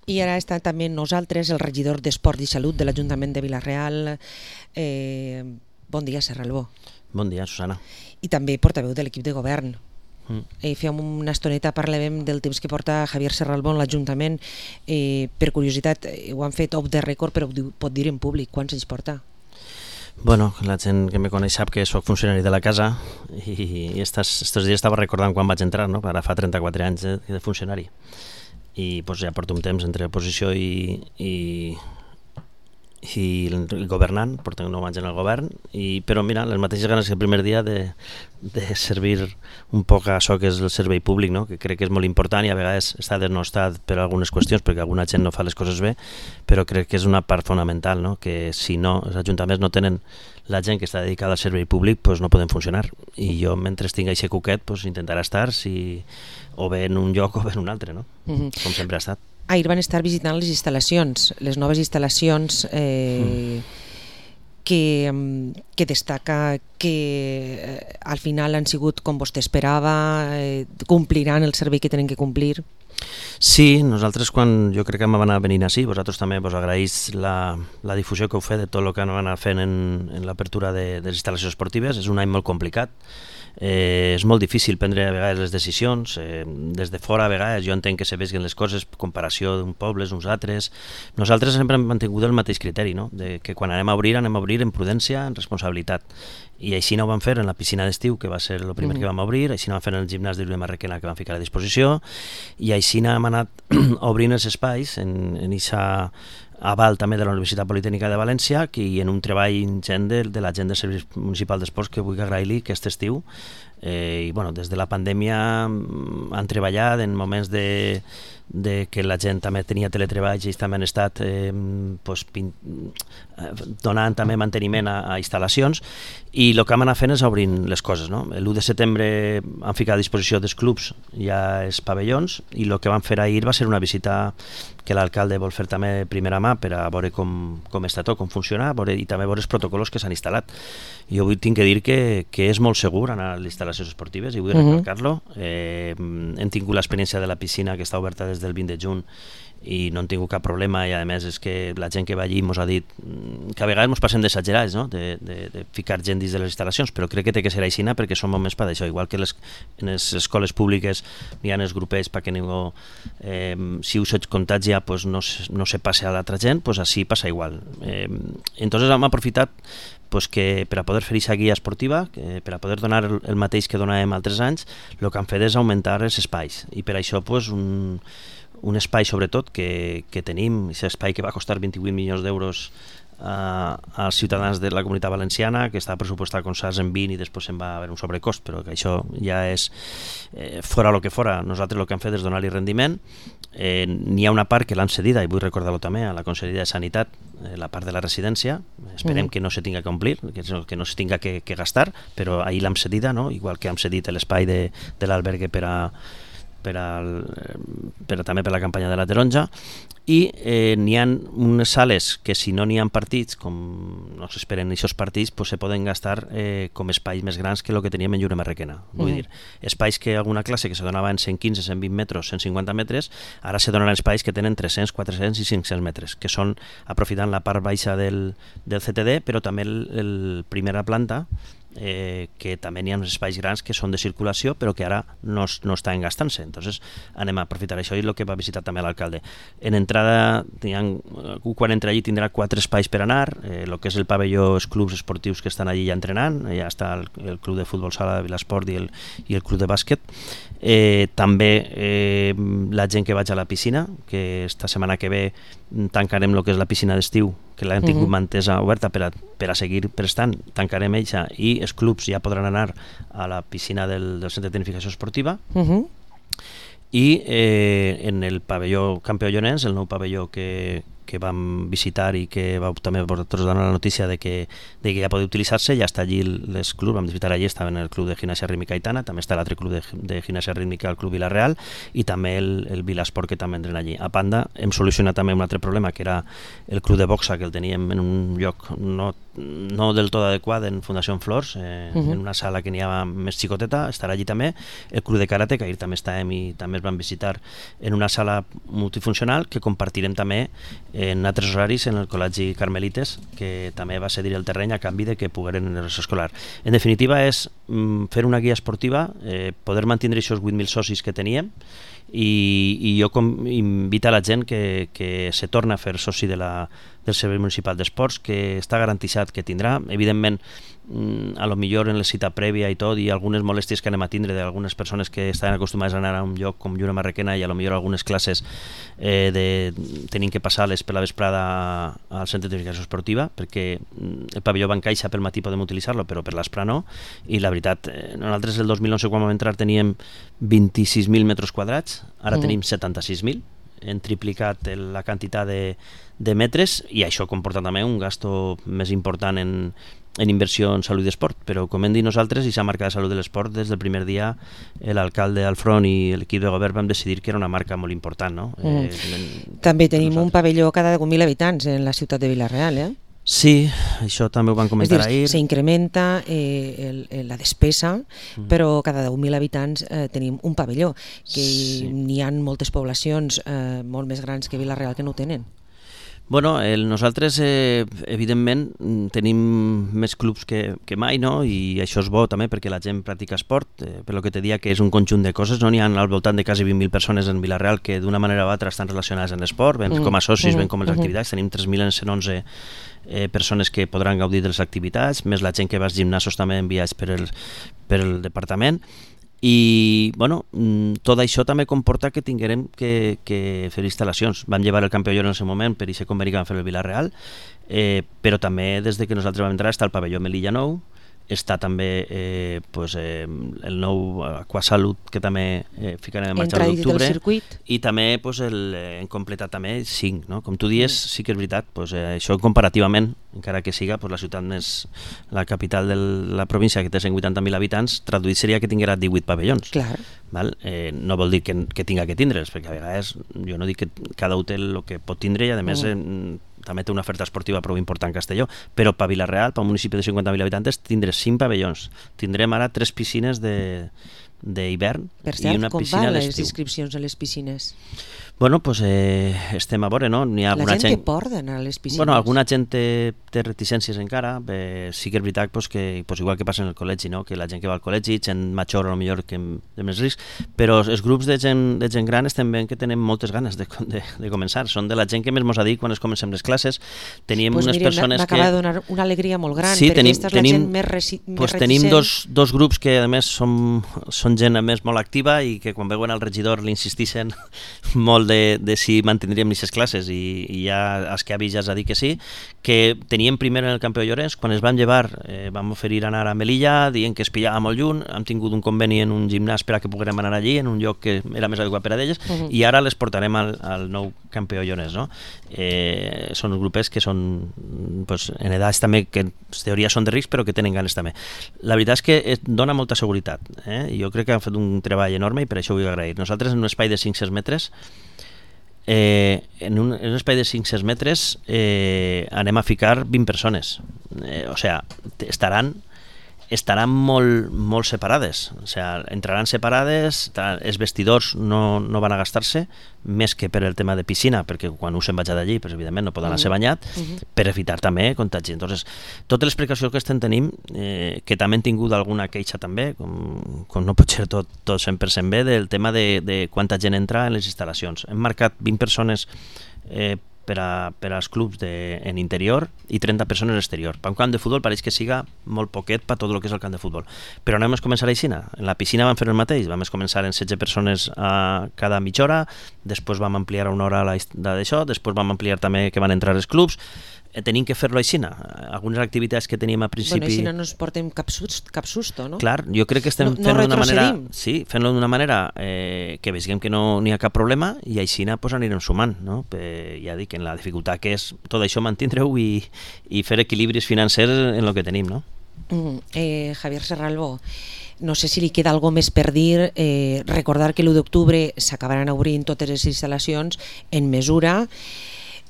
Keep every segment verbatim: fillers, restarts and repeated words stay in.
I ara està també nosaltres, el regidor d'Esport i Salut de l'Ajuntament de Vila-real. Eh, bon dia, Serra Albó. Bon dia, Susana. I també portaveu de l'equip de govern. Mm. Eh, fèiem una estoneta, parlàvem del temps que porta Javier Serra Albó en l'Ajuntament. Eh, per curiositat, eh, ho han fet off the record, però ho pot dir en públic. Quants anys porta? Bueno, la gent que me coneix sap que soc funcionari de la casa i estos, estos dies estava recordant quan vaig entrar, no? Ara fa trenta-quatre anys de, de funcionari. I pues, ja porto un temps entre oposició i, i, i governant, porto nou anys en el govern, i, però mira, les mateixes ganes que el primer dia de, de servir un poc a això que és el servei públic, no? Que crec que és molt important i a vegades està denostat per algunes qüestions perquè alguna gent no fa les coses bé, però crec que és una part fonamental, no? Que si no, els ajuntaments no tenen la gent que està dedicada al servei públic, pues no poden funcionar, i jo mentre tinc aquest cuquet pues, intentarà estar si, o bé en un lloc o bé en un altre, no? Mm-hmm. Com sempre ha estat. Ahir van estar visitant les instal·lacions, les noves instal·lacions eh, mm. que, que destaca que eh, al final han sigut com vostè esperava, eh, compliran el servei que tenen que complir. Sí, nosaltres quan jo crec que vam anar venint així, vosaltres també vos agraïs la, la difusió que heu fet de tot el que han anat fent en, en l'apertura de, de les instal·lacions esportives. És un any molt complicat. Eh, és molt difícil prendre a vegades les decisions, eh, des de fora a vegades jo entenc que se vegin les coses, comparació d'un pobles, uns altres. Nosaltres sempre hem mantingut el mateix criteri, no? De que quan anem a obrir, anem a obrir en prudència, en responsabilitat. I així no ho vam fer en la piscina d'estiu, que va ser el primer mm. que vam obrir, així no vam fer en el gimnàs de Lluna Marrequena, que vam ficar a disposició, i així hem anat obrint els espais en aquesta aval també de la Universitat Politècnica de València i en un treball ingent de, de la gent del Servei Municipal d'Esports que vull agrair-li aquest estiu. Eh, i bueno, des de la pandèmia han treballat en moments de, de que la gent també tenia teletreball i ells també han estat eh, pues, pin, donant també manteniment a, a instal·lacions, i el que hem anat fent és obrint les coses, no? L'u de setembre han ficat a disposició dels clubs ja els pavellons, i el que vam fer ahir va ser una visita que l'alcalde vol fer també de primera mà per a veure com, com està tot, com funciona, veure, i també veure els protocols que s'han instal·lat. Jo avui tinc que dir que, que és molt segur anar a les instal·lacions esportives, i vull uh-huh. recalcar-lo. Eh, hem tingut l'experiència de la piscina que està oberta des del vint de juny i no hem tingut cap problema, i a més és que la gent que va allí ens ha dit que a vegades ens passem d'exagerats, no? de, de, de ficar gent dins de les instal·lacions, però crec que té que ser així perquè som moments per això, igual que les, en les escoles públiques hi ha els grupets perquè ningú, eh, si us et contagia pues no, no se passe a l'altra gent, pues així passa igual. Eh, entonces hem aprofitat pues que per a poder fer aquesta guia esportiva, que per a poder donar el, el mateix que donàvem altres anys, el que han fet és augmentar els espais, i per això pues, un, un espai sobretot que, que tenim, aquest espai que va costar vint-i-vuit milions d'euros a, als ciutadans de la Comunitat Valenciana, que estava pressupostat com s'ha en vint i després se'n va haver un sobrecost, però que això ja és eh, fora el que fora. Nosaltres el que hem fet és donar-li rendiment. Eh, n'hi ha una part que l'han cedida, i vull recordar-ho també, a la Conselleria de Sanitat, eh, la part de la residència. Esperem mm. que no se tinga que omplir, que, que no se tinga que, que gastar, però ahir l'hem cedida, no? Igual que hem cedit l'espai de, de l'albergue per a Per a, per a, també per la campanya de la taronja, i eh, n'hi ha unes sales que si no n'hi ha partits, com no s'esperen aquests partits, pues se poden gastar eh, com espais més grans que el que teníem en Lluna Marrequena. Vull mm. dir, espais que alguna classe que se donava en cent quinze, cent vint metres, cent cinquanta metres, ara se donaran espais que tenen tres-cents, quatre-cents i cinc-cents metres, que són aprofitant la part baixa del, del C T D, però també el, el primera planta, Eh, que també hi ha uns espais grans que són de circulació però que ara no, no estan gastant-se. Entonces anem a aprofitar això, i el que va visitar també l'alcalde. En entrada, quan entra allí tindrà quatre espais per anar, el eh, que és el pavelló, els clubs esportius que estan allí ja entrenant, ja està el, el club de futbol sala de Vilasport i el, i el club de bàsquet. Eh, també eh, la gent que vaig a la piscina, que esta setmana que ve tancarem el que és la piscina d'estiu, que l'hem tingut uh-huh. mantesa oberta per a, per a seguir prestant, tancarem eixa, i els clubs ja podran anar a la piscina del, del centre de tecnificació esportiva. Uh-huh. I eh, en el pavelló Campió Llorenç, el nou pavelló que, que vam visitar i que vau també vosaltres donar la notícia de que, de que ja pot utilitzar-se, ja està allí les clubs, vam visitar allí, estaven el club de gimnàsia rítmica Aitana, també està l'altre club de, de gimnàsia rítmica, el club Vila-real, i també el, el Vilasport, que també entren allí. A banda, hem solucionat també un altre problema, que era el club de boxa, que el teníem en un lloc no no del tot adequada en Fundació Flors, eh, uh -huh. en una sala que n'hi ha més xicoteta, estarà allí també. El Club de Karate, que ahir també estàvem i també es van visitar en una sala multifuncional que compartirem també en altres horaris en el Col·legi Carmelites, que també va cedir el terreny a canvi de que pogueren en el escolar. En definitiva és mm, fer una guia esportiva, eh, poder mantenir aquests vuit mil socis que teníem, i, i jo com, invito a la gent que, que se torna a fer soci de la, del Servei Municipal d'Esports, que està garantitzat que tindrà, evidentment a lo millor en la cita prèvia i tot, i algunes molèsties que anem a tindre d'algunes persones que estaven acostumades a anar a un lloc com Lluna Marrequena, i a lo millor algunes classes eh, de, tenim que passar-les per la vesprada al centre de tecnificació esportiva, perquè el pavelló Bancaixa pel matí podem utilitzar-lo, però per l'Aspra no, i la veritat, eh, nosaltres el dos mil onze quan vam entrar teníem vint-i-sis mil metres quadrats, ara mm. tenim setanta-sis mil, hem triplicat la quantitat de, de metres, i això comporta també un gasto més important en, en inversió en salut i esport, però com hem dit nosaltres, i s'ha marcat la salut de l'esport des del primer dia, l'alcalde al front i l'equip de govern vam decidir que era una marca molt important, no? Mm. Eh, també tenim nosaltres un pavelló cada deu mil habitants en la ciutat de Vila-real, eh? Sí, això també ho van comentar dir, ahir. S'incrementa eh, el, la despesa, mm. però cada deu mil habitants eh, tenim un pavelló, que sí. N'hi ha moltes poblacions eh, molt més grans que Vila-real que no ho tenen. Bueno, el, nosaltres eh, evidentment tenim més clubs que, que mai, no? I això és bo també perquè la gent practica esport, eh, per lo que te dia que és un conjunt de coses, no? N'hi ha al voltant de quasi vint mil persones en Vila-real que d'una manera o altra estan relacionades amb l'esport, ben mm. com a socis, mm. ben com a les mm. activitats, tenim tres mil cent onze eh, persones que podran gaudir de les activitats, més la gent que va als gimnasos també enviats per el, per el departament. I bueno, tot això també comporta que tinguem que, que fer instal·lacions. Vam llevar el Campió Lloro en el moment per aquest conveni que vam fer el Vila-real, eh, però també des de que nosaltres vam entrar està el pavelló Melilla nou, està també eh, pues, eh, el nou Aquasalut, que també eh, ficarem en marxa l'octubre, i també pues, el, eh, en completat també cinc, no? Com tu dius, mm. sí que és veritat, pues, eh, això comparativament, encara que siga pues, la ciutat més, la capital de la província, que té cent vuitanta mil habitants, traduït seria que tinguera divuit pavellons. Clar. Val? Eh, no vol dir que, que tinga que tindre'ls, perquè a vegades jo no dic que cada hotel el que pot tindre, i a més mm. eh, també té una oferta esportiva prou important a Castelló, però per Vila-real, per un municipi de cinquanta mil habitants, tindrem cinc pavellons. Tindrem ara tres piscines d'hivern i una piscina a l'estiu. Per cert, com van les inscripcions a les piscines? Bueno, doncs eh, estem a veure, no? N'hi ha la gent, gent que porta d'anar a les piscines. Bueno, alguna gent té, té reticències encara, eh, sí que és veritat pues, que pues, igual que passa en el col·legi, no? Que la gent que va al col·legi, gent major o millor que de més risc, però els grups de gent, de gent gran estem veient que tenen moltes ganes de, de, de començar, són de la gent que més mos ha dit quan es comencem les classes. Tenim pues unes mira, persones que... m'acaba de donar una alegria molt gran, sí, perquè tenim, aquesta és tenim, la gent més, resi, més pues, reticent. Tenim dos, dos grups que a més són, són gent a més molt activa i que quan veuen al regidor li insistixen molt de, de si mantindríem aquestes classes, i, i ja els que ha vist ja es ha dit que sí, que teníem primer en el Campió Llorenç, quan es van llevar eh, vam oferir anar a Melilla, dient que es pillava molt lluny, hem tingut un conveni en un gimnàs per a que poguérem anar allí, en un lloc que era més adequat per a d'elles, uh-huh. i ara les portarem al, al nou Campió Llorenç, no? Eh, són uns grupets que són pues, en edats també que en teoria són de risc, però que tenen ganes també. La veritat és que et dona molta seguretat, eh? Jo crec que han fet un treball enorme i per això ho vull agrair. Nosaltres en un espai de cinc-cents metres Eh, en, un, en un espai de cinc-cents metres eh, anem a ficar vint persones, eh, o sea, estaran estaran molt, molt separades, o sea, entraran separades, els vestidors no, no van a gastar-se, més que per el tema de piscina, perquè quan us se'n vaig d'allí, pues, evidentment no poden anar-se banyat, uh-huh. per evitar també contagi. Entonces, totes les precaucions que estem tenim, eh, que també hem tingut alguna queixa també, com, com no pot ser tot, tot cent per cent bé, del tema de, de quanta gent entra en les instal·lacions. Hem marcat vint persones eh, per, a, per als clubs de, en interior i trenta persones exterior. Per un camp de futbol pareix que siga molt poquet per tot el que és el camp de futbol. Però no vam començar a la piscina. En la piscina vam fer el mateix. Vam començar en setze persones a cada mitja hora, després vam ampliar a una hora d'això, després vam ampliar també que van entrar els clubs. Tenim que fer-lo així. Algunes activitats que teníem a principi... Bueno, així no ens portem cap, sust, cap susto, no? Clar, jo crec que estem no, fent-lo no d'una manera... Sí, fent-lo d'una manera eh, que veiem que no n'hi ha cap problema, i així pues, anirem sumant, no? Eh, ja dic, en la dificultat que és tot això mantindre-ho i, i fer equilibris financers en el que tenim, no? Mm, eh, Javier Serralbo, no sé si li queda alguna més per dir, eh, recordar que l'u d'octubre s'acabaran obrint totes les instal·lacions en mesura.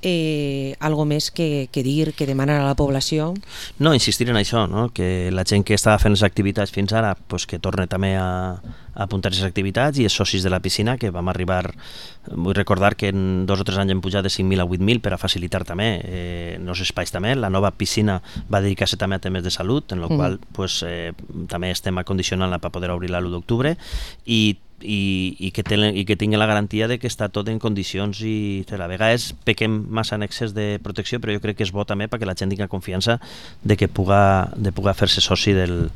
Eh, algo més que, que dir, que demanar a la població? No, insistir en això, no? Que la gent que estava fent les activitats fins ara pues, que torni també a, a apuntar-se a les activitats, i els socis de la piscina, que vam arribar, vull recordar que en dos o tres anys hem pujat de cinc mil a vuit mil per a facilitar també eh, els espais també. La nova piscina va dedicar-se també a temes de salut, en el mm. qual pues, eh, també estem acondicionant-la per poder obrir-la l'u d'octubre, i I, i, que ten, i que tingui la garantia de que està tot en condicions, i a vegades pequem massa en excés de protecció, però jo crec que és bo també perquè la gent tingui confiança de que puga, de puga fer-se soci del,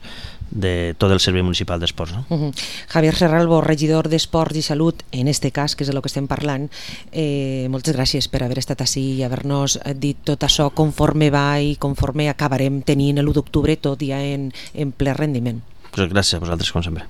de tot el Servei Municipal d'Esports. No? Uh-huh. Javier Serralbo, regidor d'Esports i Salut, en este cas, que és de lo que estem parlant, eh, moltes gràcies per haver estat ací i haver-nos dit tot això conforme va i conforme acabarem tenint l'u d'octubre tot ja en, en ple rendiment. Pues gràcies a vosaltres, com sempre.